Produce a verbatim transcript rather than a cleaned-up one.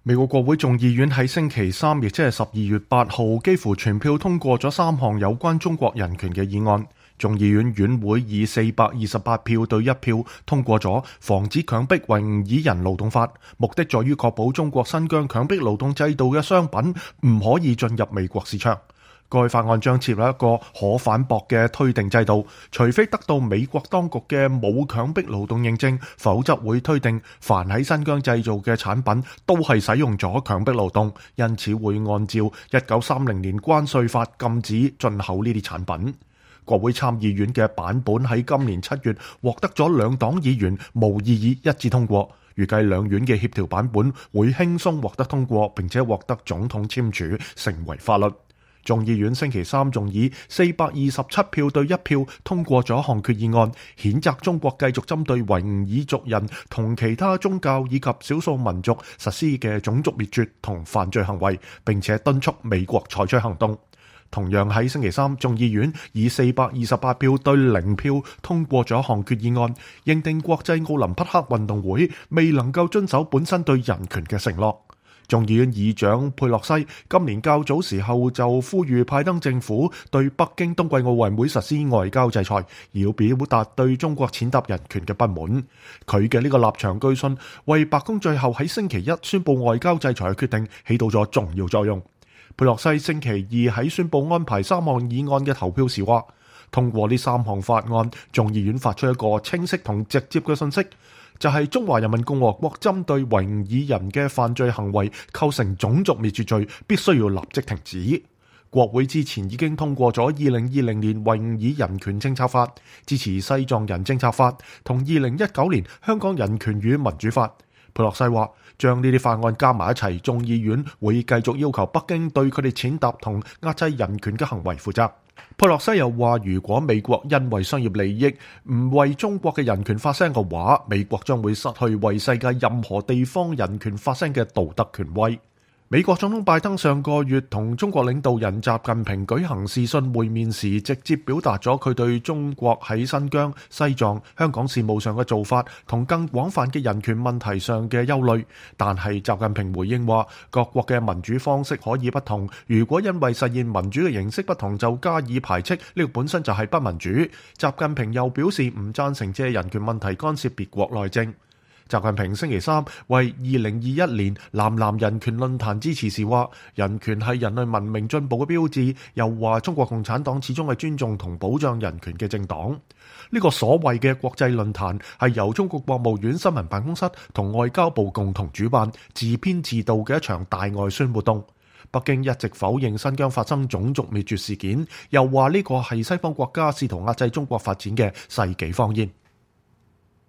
美國國會眾議院喺星期三，亦即係十二月八號，幾乎全票通過咗三項有關中國人權嘅議案。眾議院院會以四百二十八票對一票通過咗《防止強迫維吾爾人勞動法》，目的在於確保中國新疆強迫勞動制度嘅商品唔可以進入美國市場。該法案將設立一個可反駁嘅推定制度，除非得到美國當局嘅冇強迫勞動認證，否則會推定凡喺新疆製造嘅產品都係使用咗強迫勞動，因此會按照一九三零年關稅法禁止進口呢啲產品。國會參議院嘅版本喺今年七月獲得咗兩黨議員無異議一致通過，預計兩院嘅協調版本會輕鬆獲得通過，並且獲得總統簽署成為法律。眾議院星期三仲以四百二十七票對一票通過咗一項決議案，譴責中國繼續針對維吾爾族人同其他宗教以及少數民族實施嘅種族滅絕同犯罪行為，並且敦促美國採取行動。同樣喺星期三，眾議院以四百二十八票對零票通過咗一項決議案，認定國際奧林匹克運動會未能夠遵守本身對人權嘅承諾。眾議院議長佩洛西今年較早時候就呼籲拜登政府對北京冬季奧運會實施外交制裁，要表達對中國踐踏人權嘅不滿。佢嘅呢個立場據信為白宮最後喺星期一宣布外交制裁嘅決定起到咗重要作用。佩洛西星期二喺宣布安排三項議案嘅投票時話，通過呢三項法案，眾議院發出一個清晰同直接嘅信息，就係中華人民共和國針對維吾爾人嘅犯罪行為構成種族滅絕罪，必須要立即停止。國會之前已經通過咗二零二零年維吾爾人權政策法、支持西藏人政策法同二零一九年香港人權與民主法。佩洛西話，將呢啲法案加埋一齊，眾議院會繼續要求北京對佢哋踐踏同壓制人權嘅行為負責。佩洛西又話，如果美國因為商業利益唔為中國嘅人權發聲嘅話，美國將會失去為世界任何地方人權發聲嘅道德權威。美國總統拜登上個月同中國領導人習近平舉行視訊會面時，直接表達咗佢對中國喺新疆、西藏、香港事務上嘅做法同更廣泛嘅人權問題上嘅憂慮。但係習近平回應話，各國嘅民主方式可以不同，如果因為實現民主嘅形式不同就加以排斥，呢個本身就係不民主。習近平又表示唔贊成借人權問題干涉別國內政。習近平星期三為二零二一年南南人權論壇支持時話，人權係人類文明進步嘅標誌，又話中國共產黨始終係尊重同保障人權嘅政黨。呢個所謂嘅國際論壇係由中國國務院新聞辦公室同外交部共同主辦，自編自導嘅一場大外宣活動。北京一直否認新疆發生種族滅絕事件，又話呢個係西方國家試圖壓制中國發展嘅世紀謊言。